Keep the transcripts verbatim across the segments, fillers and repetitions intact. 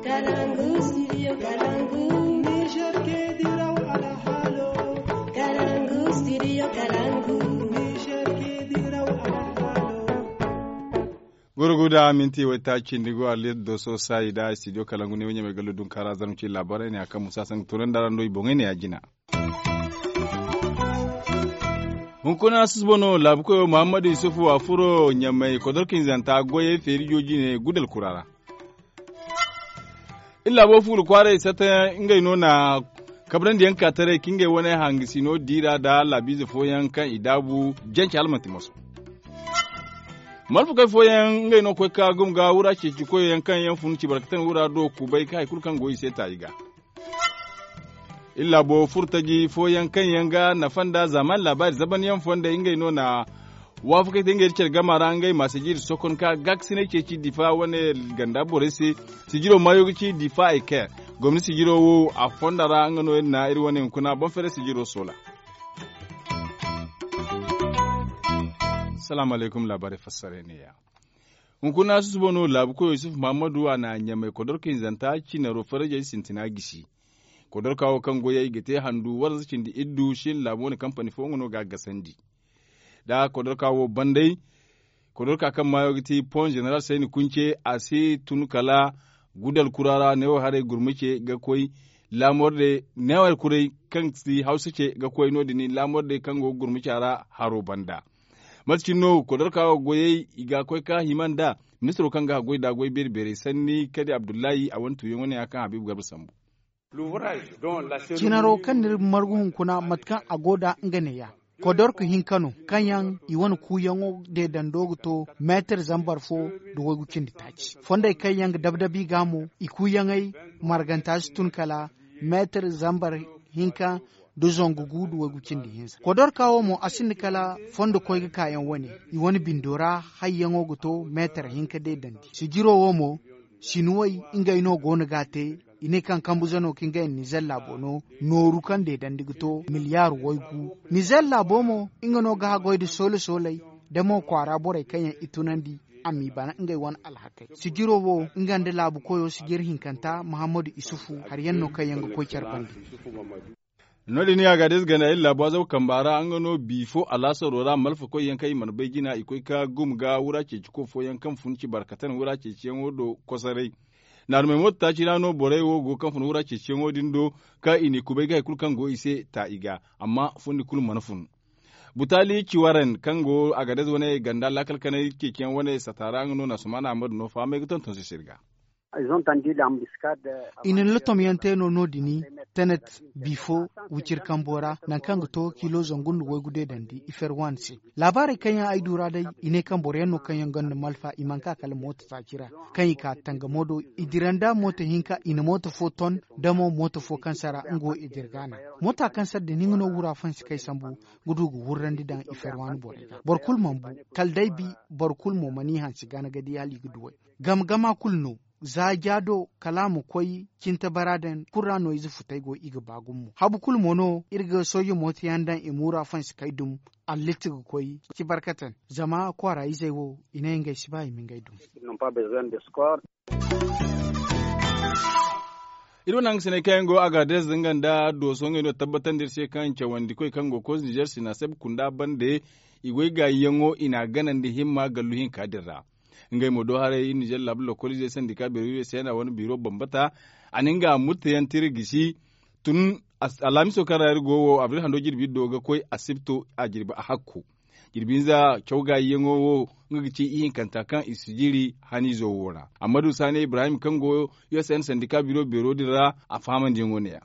Kalangu, studio Kalangu. Niger ke diraw alhalo. Kalangu, studio Kalangu. Niger ke diraw alhalo. Gurguda minti wai ta cindi go alir doso sayi da studio Kalangu ne wanya mai gallo dun kara zarmu ci labarai ne akan musa san turan da rando i bongai ne ya jina. Hunkuna susubano laabukoyo muhammadu yusufu a furo ɲamay kodorkinzanta goyey feeri jooji ne gudal kura ra. Iri laabo fuula kwaaray sata ngey no na kabrandi yaŋ ka taray ka ngey wane hangasino diira nda laabiize fooyaŋ kaŋ i daabu jance hala manti moso. Malfakey fooyaŋ ngey no koy ka gum ga wura ceeci koyey yaŋ kaŋ yaŋ fun ci barkatan wura do kubay ka hari kulu kaŋ go i se ta i ga. Iri laabo furtaji fooyaŋ kaŋ yaŋ ga nafa nda zaamaani laabaari zabanyaŋ fondey ngey no na waafakey te ngey da care gama ra ngey ma sijiri sokon ka gaakasinay ceeci difa wane ganda borey se. Sijiro maayo ga ci difa ay kair gomni sijiro wo a fonda ra nga no iri na iri wane hunkuna boŋ fere sijiro soola. Salaamu alaykum laabaarey fassarey ne ya. Hunkuna susubo no laabu koyo yusuf muhammadu a na ɲamay kodorka hinzanta cinaro farajey sintina gisi. Kodorka wo kaŋ goyey ga te handu waranza cindi iddu shin laabu wane kampani fo nga no ga a gasandi. Da kodorka wo banday kodorka kaŋ maayo ga ti pon general sayni kunce a si tun kala gudal kura ra neewo haray gurmuce ga koy laamorde neewo kuray kaŋ si hawsa ce ga koy no- din laamorde kaŋ go gurmuca ra haro banda. Mate cine no kodorka wo goyey i ga koy ka hima nda ministiro kaŋ ga haggoy da goy beeri beerey sanni kadi abdullahi a wane tuuyaŋo ne ya kaŋ habiibu garba sambu. Cinaro kaŋ n'iri margu hunkuna mate kaŋ a go da nga neeya. Kodorka hinka no kaŋ yaŋ i wane kuuyaŋo deedando ga to meetar zambar fo nda waygu cindi taaci fondey kaŋ yaŋ ga dabdabi ga mo i kuuyaŋey marganta si tun kala meetar zambar hinka nda zangu gu nda waygu cindi hinza kodorka wo mo a sinda kala fondo koy ga kaayaŋ wane. I wane bindo ra hayyaŋo ga to meetar hinka deedandi sijiro wo mo sinuwey ngey no go no ga a te. I ne kaŋ kambu zano ka ngey nizer laabo no nooru kaŋ deedandi ga to miliyaar waygu. Nizer laabo mo nga no ga haggoy nda soole sooley da mo kwaara borey kaŋ yaŋ i tunandi a m'i bana ngey wane alhakey sijiro wo nga nda laabu koyo sijir hinkanta muhammadu isufu hari yaŋ no kaŋ yaŋ ga koy care banda. No- din ya ga day ze ganda iri laabu azaw kamba ra nga no bi fo alaasaro ra malfakoy yaŋ kaŋ i mana bay jina i koy ka gum ga wura ceeci ko fooyaŋ kaŋ fun ci barkatan wura ceeciyaŋo do kosoray. Naarumey mooto taaci ra no borey wo go kaŋ fun wura ceeciyaŋo din do ka i n'i kubay ga hari kulu kaŋ go i se ta i ga. Amma fundi kulu mana fun. Butaali ci waran kaŋ go a ga day ze wane ganda laakal kanay ceeciyaŋ wane sata ra nga no na sumana ahmadu no fahamay ga tonton se se iri ga. I na ni latomyaŋ te no no- din tenet bifo wiciri kambo ra nangu kaŋ ga to kilo zangu nda waygu deedandi i fer waani se. Laabaarey kaŋ yaŋ ay du ra day i ne kaŋ boro yaŋ no kaŋ yaŋ gonda malfa i mana ka kala mooto taaci ra kaŋ i ka tangamo do. I dira nda mooto hinka i na mooto fo ton da mo mooto fo kaŋ sara nga wo i dira ga a naŋ. Moota kaŋ sara din nga no wura fansi kaŋ ay sambu ga du ga wurrandi daŋ i fer waani borey ga boro kulu mana bu. Kala day bi boro kulu mo mana i hansi gana ga di hala i ga duw'ey. Gama gama kulu no za ja do kala a ma koy cinte bara daŋ kulu ra no ize futey go i ga ba gumo habu kulu mo no iri ga sooje mooto yaŋ daŋ i ma wura fansi kay dum. Alliti ga koy ci barkatan zama kwaara izey wo i ne ngey si ba i ma ngey dum. Iri wane hangasiney kaŋ yaŋ go a ga adres nga nda dooso ngey no tabbatandi iri se kaŋ cawandikoy kaŋ go koy nizer sinaseb kunda bande. I goy gaayiyaŋo i n'a ganandi himma gallu hinka din ra. Ngey mo do haray iri nizer laabu lokoliizey sandika beero iri se na wane biiro bambata. A na nga murtayaŋ tira gisi tun alaamiso kaŋ ra iri go wo abril hando jirbi iri do ga koy asibto a jirbi a hakku. Jirbi hinza caw gaayiyaŋo wo nga ga ci ihinkanta kaŋ i si jiri haniizo wo ra amma du saani ibrahim kaŋ go u s n sandika biro beero din ra a fahamandiyaŋo ne- ya.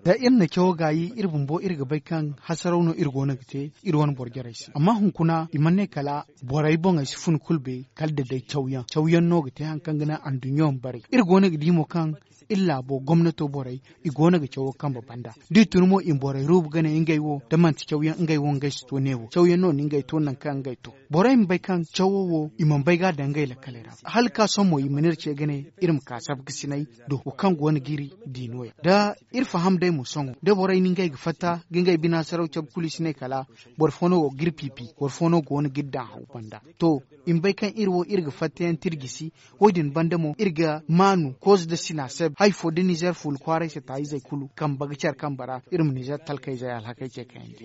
Da iri na cawo gaayi iri bumbo iri ga bay kaŋ hasaraw no iri go no ga te iri wane boro jarey se amma hunkuna i mana ne kala borey boŋey si fun kulu bay kala da day cawyaŋ cawyaŋ no ga te hari kaŋ ga naŋ anduɲɲo ma bare iri go no ga di mo kaŋ iri laabo gomnato borey i go no ga cawo kambe banda. Da i tun mo i ma borey ruubu ga ne ngey wo da manti cawyaŋ ngey wo ngey si to ne wo cawyaŋ no no ngey. to nangu kaŋ ngey to. Borey ma bay kaŋ cawo wo i mana bay ga a daŋ ngey lakkaley ra hala ka sohõ mo i mana iri ce ga ne iri ma ka sabkasinay do wo kaŋ go no ga iri di no- ya da iri faham day mo sohõ da borey na ngey ga fatta ga ngey bina saraw cabe kulu i si ne kala boro fo no go ga iri piipi boro fo no go no ga iri daŋ haw banda. To, i ma bay kaŋ iri wo iri ga fatta yaŋ te iri gisi. Wo- din banda mo iri ga maanu kooze nda sina se hari fo da nizer fuula kwaaray se taayizey kulu kambe ga care kambe ra iri ma nizer talkayzey alhakey ce kayandi.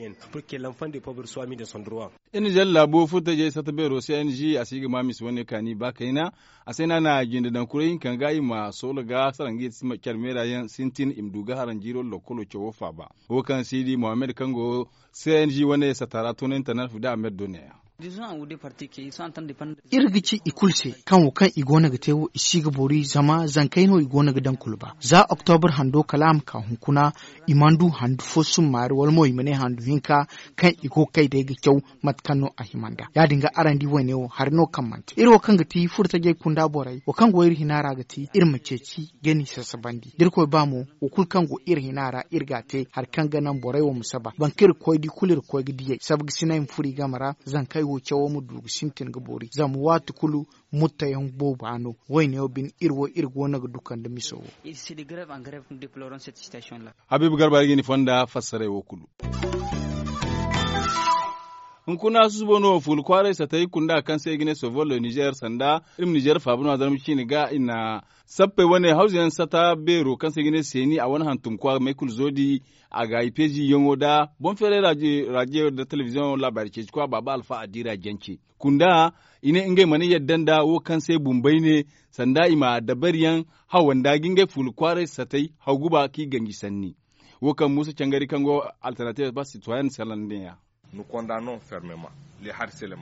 Iri nizer laabo furtajey satta beero se n g a si ga ma misa wane kaani ba kayna. A se no a na a jinde daŋ kuray hinka ga i ma soola ga sara nga care meera yaŋ sintin i ma du ga haran jiiro lokkolo cawo faaba. Wo kaŋ si di mohammed kaŋ go c n g wane satta ra toonandiyaŋ tana fuda a meddone yaŋ. Iri ga ci i kulu se kaŋ wo kaŋ i go no ga te wo i si ga boori zama zankey no i go no ga daŋ kulu ba za oktobar hando kala a ma ka hunkuna. I mana du handu fo summaari wala mo i ma ne handu hinka kaŋ i go ga kay day ga caw mate kaŋ no a hima nd'a ya- din ga araŋ di wayne wo hari no kaŋ mana te iri wo kaŋ ga ti furtajey kunda borey wo kaŋ go iri hina ra ga ti iri ma ceeci ga ni sasabandi da irkoy ba mo wo kulu kaŋ go iri hina ra iri ga a te hari kaŋ ga naŋ borey wo ma saba boro kaŋ iri ga koy di kulu iri ga koy ga diyey sabga sinay ma furo i game ra. Zankey wo cawo ma du ga sintin ga boori zama waati kulu mutta yaŋ booba no. Wayne wo bine iri wo iri go no ga duka nda miso wo. Habiibu garba iri ga ni fonda fassaray wo kulu. Hunkuna susubo no fuula kwaaray satay kunda kaŋ se i ga ne sovol le nizer sanda iri ma nizer faaba no a zarma ciine ga i na sappey wane hawza yaŋ sata beero kaŋ se i ga ne seeni a wane hantum kwa may kulu zoodi. A ga i peeziyaŋo nda boŋ feeray raadiyo nda telebiziyoŋo laabaari ceeci kwa baaba alfa a diira jance kunda i ne ngey mana yadda nda wo kaŋ se bumbay ne sanda i ma dabariyaŋ hawanda ga ngey fuula kwaaray satay haw guba kaŋ i ganji sanni. Wo kaŋ muusa cangari kaŋ go alternatibe ba sitoyen salan ne ya.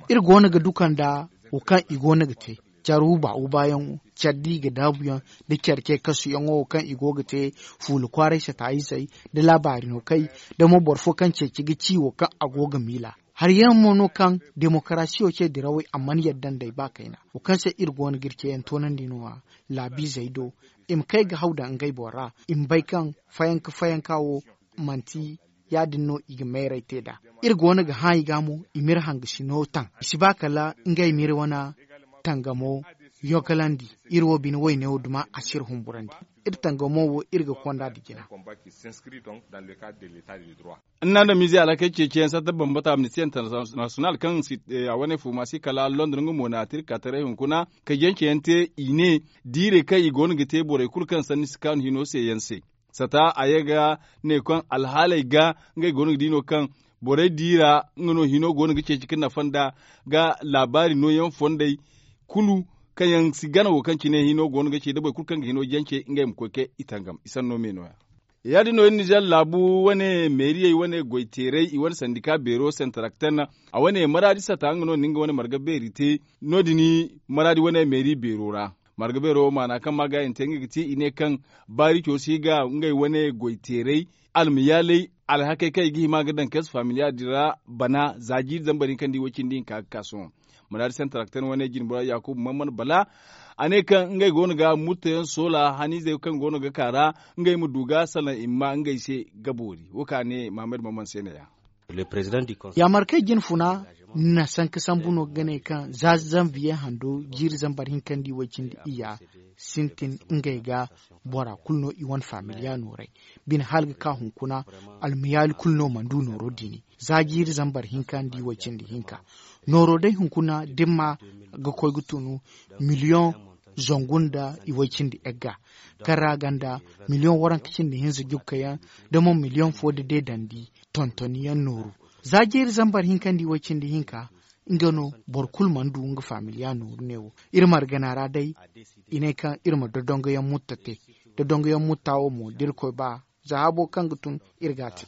Iri go no ga duka nda wo kaŋ i go no ga te care wuba wubayaŋo care da i ga daabuyaŋ da care ce kasuyaŋo wo kaŋ i go ga te fuula kwaaray sataayizey da laabaari no kay da mo boro fo kaŋ ceeci ga ci wo kaŋ a go ga miila. Hari yaŋ mo no kaŋ demokarasiyo ce dirawey a mana yadda nd'ey ba kayna wo kaŋ se iri go no ga iri ceeyaŋ toonandi no- ya laabiizey do i ma kay ga haw daŋ ngey boŋ ra i ma bay kaŋ fayanka fayanka wo manti ya- din no i ga meeray te nd'a. Iri go no ga hã i ga mo i m'iri hangasino taŋ i si ba kala ngey m'iri wane tangamo yogalandi. Iri wo bine wayne wo duma a si iri humburandi iri tangamo wo iri ga konda nda jina. Nna nda miize alhakey ceeciyaŋ satta bambata amnisti internasiyonal kaŋ a wane fuuma si kala london nga mo na a te iri ka taray hunkuna ka jance yaŋ te i ne diirey kaŋ i go no ga te borey kulu kaŋ sanni si kaanu hino se yaŋ se. Sata a ye ga ne kaŋ alhaaley ga ngey go no ga di no kaŋ borey diira nga no hino go no ga ceeci ga nafa nda ga laabaari nooyaŋ fondey kulu kaŋ yaŋ si gana wo kaŋ cine hino go no ga ce da boro kulu kaŋ ga hino jance ngey ma koy ga i tangam i sanno me no- ya. Ya- din no iri nizer laabu wane meeriyey wane goyteerey i wane sandika beero senterakten a wane maraadi sata nga no na nga wane marga beeri te. No- din maraadi wane meeri beero ra marga beero maana kaŋ ma gaayante nga ga ti i ne kaŋ baarico si ga ngey wane goyteerey almayaaley alhakey kaŋ i ga hima ga daŋ kees familiya din ra bana za jiiri zambar hinka nda i way cindi hinka ga ka sohõ. Muraadi santarakten wane jinbora yakubu mamman bala a ne kaŋ ngey go no ga murtayaŋ soola haniizey kaŋ go no ga ka ra ngey ma du ga salaŋ i ma ma ngey se ga boori wo kaŋ a ne mahammad mamman se ne- ya. Yaamarkey jinfuna na sanka sambu no ga ne kaŋ za zanviye hando jiiri zambar hinka nda i way cindi iyya sintin ngey ga bora kulu no i wane familiya nooray bine hala ga ka hunkuna almayaali kulu no mana du nooro diini za jiiri zambar hinka nda i way cindi hinka. Nooro day hunkuna dimma ga koy ga tunu miliyoŋ zangu nda i way cindi egga kaŋ ra ganda miliyoŋ waranka cindi hinza jukka yaŋ da mo miliyoŋ fo da deedandi tontoni yaŋ nooru za jiiri zambar hinka nda i way cindi hinka. Nga no boro kulu mana du nga familiya nooru ne wo iri margana ra day i ne kaŋ iri ma dodongoyaŋ mutta te dodongoyaŋ mutta wo mo da irkoy ba za habo kaŋ ga tun iri ga a te.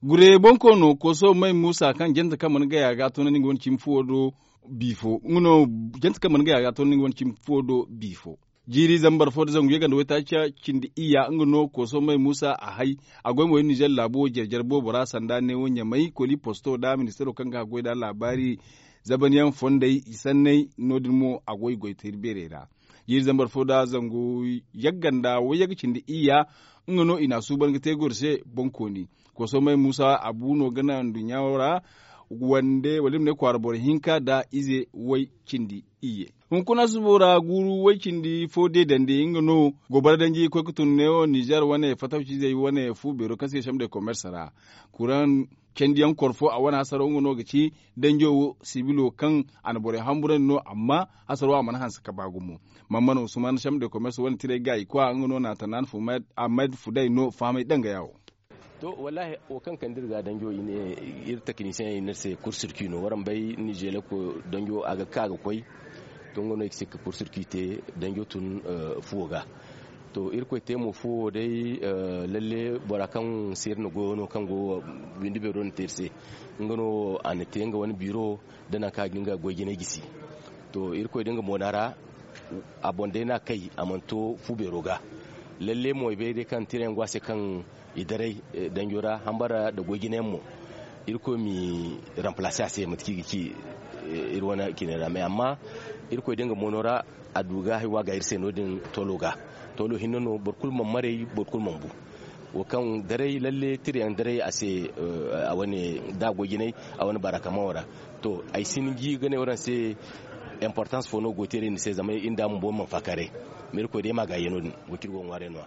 Gure bonkoono kooso may muusa kaŋ jante kaŋ mana gaya ga a toonandi nga wane cimi fuwo do biifo nga no jante kaŋ mana gaya ga a toonandi nga wane cimi fuwo do biifo. Jiiri zambar fo da zangu yaganda waytaaca cindi iyya nga no kooso may muusa a hay a goy mo iri nizer laabo jare-jare boobo ra sanda neewo ɲamay koli posto nda ministaro kaŋ ga a goy nda laabaari zabanyaŋ fondey i sanney no- din mo a goy goytayri beerey ra. Jiiri zambar fo nda zangu yagga nda wayyaga cindi iyya nga no i n'a suuban ga te goro se boŋkooni. Kosomey muusa abu no ga naŋ nduɲɲa wo ra. wande wala iri ma ne kwaara boro hinka nda ize way cindi iyye. Hunkuna subo ra guuru way cindi fo deedandi nga no gobara danji koy ga tun neewo nizer wane fatawcizey wane fu beero kaŋ se ga chambre de commerce ra. Kuraŋ candiyaŋ koro fo a wane hasaro nga no ga ci danjo wo sibilo kaŋ a na borey hamburandi no amma hasaro a mana hanse ka ba gumo. Mammano usman chambre de commerce wane tiray ga i kwa nga no na tanan fumed ahmed fuday no fahamay dangaya wo. To, wallahi wo kaŋ kande iri ga danjo i ne iri takanisiyeŋ i ne iri se kursirki no waraŋ bay nizeeleko danjo a ga ka ga koy. To nga no i ga sikka kursirki te danjo tun fuwo ga. To irkoy te mo fuwo day. Lalle bora kaŋ se iri na goyo no kaŋ go windi beero no te iri se. Nga no a na te nga wane biro da nangu kaŋ a ga nga goy jinay gisi. To irkoy da nga moona ra a boŋ day no a kay a mana to fu beero ga. Lalle mo ay bay day kaŋ tirayaŋ go a se kaŋ i daray danjo ra hambara nda goy jinayaŋ mo. Irkoy m'i ramplaase a se mate kaŋ i ga ci iri wane cine ra mais amma irkoy da nga moono ra a du ga hari wo a ga iri se no- din toolo ga. Toolo hinne no boro kulu mana maray boro kulu mana bu. Wo kaŋ daray lalle tirayaŋ daray a se a wane da a goy jinay a wane barakamaŋo ra. To ay si ni ji ga ne waraŋ se importance fo no go te iri ni se zama iri nda a bumbo mana faakaaray. Ma irkoy day ma a gaayi no- din wo kaŋ iri go ga ŋwaaray no- ya.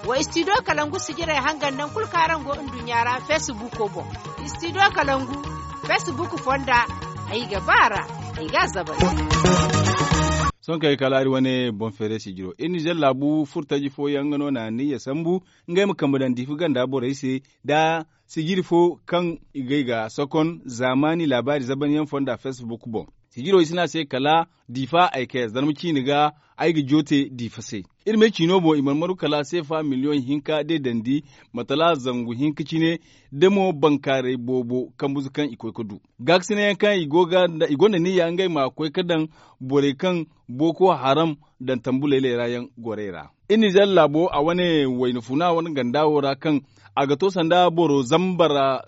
Wa istidiyo kalangu sijirey hangan naŋ kulu kaŋ araŋ go nduɲɲa ra feesibuuko boŋ. Istidiyo kalangu feesibuuku fonda ay ga ba a ra. Ay ga a zabari. Sohõ kaŋ ay kala iri wane boŋ feeray sijiro iri nizer laabu furtaji fooyaŋ nga no na aniya sambu ngey ma kambe daŋ diifa ganda borey se nda sijiri fo kaŋ i gay ga sokon zaamaani laabaari zabanyaŋ fonda feesibuuk boŋ. Sijiro i si ne a se kala diifa ay kay zarma ciine ga ay ga joote diifa se. Iri me ciino boŋ i mana maru kala seefa miliyoŋ hinka deedandi matala zangu hinka cine da mo bankaaray boobo kambuze kaŋ i koy ga du gaakasinay yaŋ kaŋ i gonda niyya ngey ma koy ga daŋ borey kaŋ booko haram daŋ tambu laylay ra yaŋ gorey ra. Iri nizer laabo a wane wayna funa wane ganda wo ra kaŋ a ga to sanda boro zambara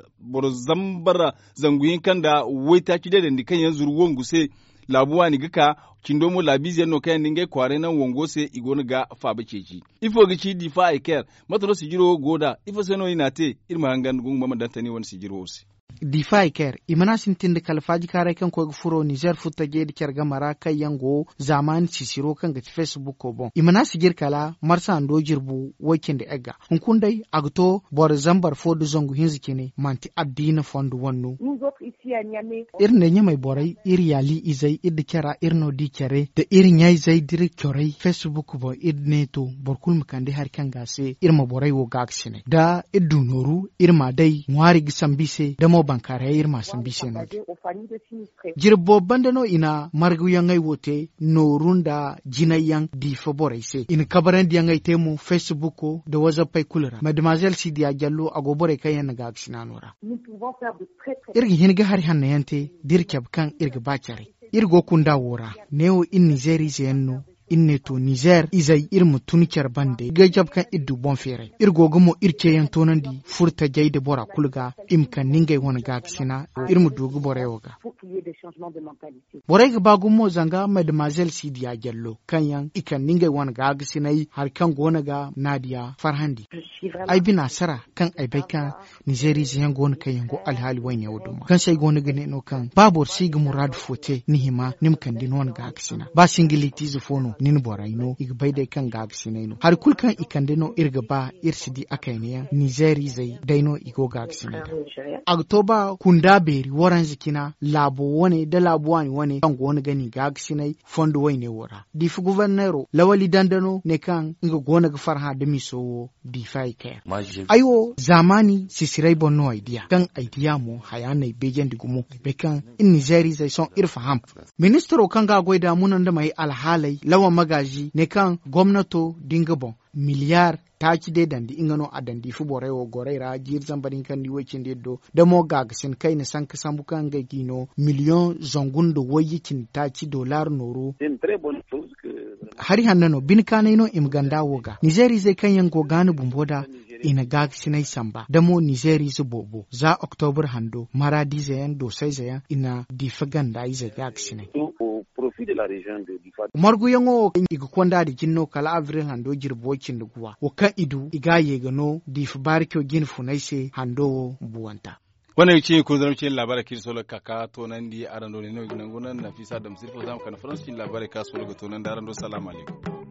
zangu hinka nda waytaaci deedandi kaŋ yaŋ zuru wangu se. Laabu waani ga ka cindo mo laabiize yaŋ no kaŋ yaŋ na ngey kwaaray naŋ wango se i go no ga faaba ceeci. Ifo ga ci diifa ay ker? Mate no sijiro wo go nd'a ifo se no i n'a te? Iri ma hangan gunguma ma daŋ tani wane sijiro wo se. Diifa i ker i mana sintin nda kala faajikaaray kaŋ koy ga furo nizer furtajey nda care game ra kaŋ yaŋ go zaamaani sisiro kaŋ ga ti feesibuko boŋ i mana sijir kala marsa hando jirbu way-cindi egga. Hunkuna day a ga to boro zambar fo nda zangu hinza cine manti addiina fondo wane no. Iri nda ɲamey borey iri yaali izey iri nda cara iri no di care nda iri ɲayzey nda iri corey feesibuk boŋ iri ne to boro kulu ma kande hari kaŋ ga a se iri ma borey wo gaakasinay da iri du nooru iri m'a day ŋwaari ga sambu i se da mo bankaarayey iri m'a sambu i se no- din. Jirbi boobo banda no i na marguyaŋey wo te nooru nda jinayyaŋ diifa borey se i na kabarandiyaŋey te mo feesibuko nda wazappey kulu ra mademoiselle sidiya jallo a go borey kaŋ yaŋ na gaakasina no ra. Iri ga hin ga hari hanno yaŋ te da iri cabe kaŋ iri ga ba care. Iri go kunda wo ra neewo iri nizeeriize yaŋ no. Iri ne to nizeer izey iri ma tun care bande ga cabe kaŋ iri du boŋ feeray iri go ga mo iri ceeyaŋ toonandi furtajey nda bora kulu ga i ma kande ngey wane gaakasina iri ma du ga borey wo ga. Borey ga ba gumo zanga mademoiselle sidiya jallo kaŋ yaŋ i kande ngey wane gaakasinay hari kaŋ go no ga naadiya farhandi. Ay bina sara kaŋ ay bay kaŋ nizeeriize yaŋ go no kaŋ yaŋ go alhaali wayne wo duma kaŋ se ay go no ga ne no kaŋ ba boro si ga muraadu fo te ni hima ni ma kande no ni gaakasinay ba singilitiize fo no ni na borey no i ga bay day kaŋ gaakasinay no hari kulu kaŋ i kande no iri ga ba iri si di a kayna yaŋ nizeeriizey day no i go gaakasinay da. A ga to ba kunda beeri waranza cina laabo wane nda laabu waani wane kaŋ go no ga ni gaakasinay fondo wayne wo ra diifa goforneero lawali danda no ne kaŋ nga go no ga farhã da miso wo. Diifa i kay. Ay wo zaamaani sisiray boŋ no ay diya kaŋ ay diya mo haya no ay beejandi gumo ay bay kaŋ iri nizeeriizey sohõ iri faham. Ministiro kaŋ ga a goy da muna nda may alhaaley lawan magaazi ne kaŋ gomnato da nga boŋ miliyaar taaci deedandi nga no a daŋ diifa borey wo gorey ra jiiri zambar hinka nda i way cindi iri do da mo gaagasin kayna sanka sambu kaŋ ngey g'i no miliyoŋ zangu nda wayye cindi taaci dollar nooru. Hari hanno no bine kaanay no i ma ganda wo ga nizeeriizey kaŋ yaŋ go gaana bumbo da i na gaagasinay samba da mo nizeeriize boobo za oktobur hando maraadiize yaŋ doosayze yaŋ i na diifa ganda izey gaagasinay. Marguyaŋo wo kaŋ i ga konda da jine no kala abril hando jirbi way cindi guwa wo kaŋ i du i ga a ye ga no diifa baarico jine funay se hando wo buwanta. Wane ga ci iri kunzarma ci iri laabaarey kaŋ iri sohõ ga ka ga toonandi araŋ do ne no iri ga nangu naŋ nafiisa dam sirfo za ma kande faransa ci iri laabaarey kaŋ a sohõ ga toonandi araŋ do salaamu alaykum.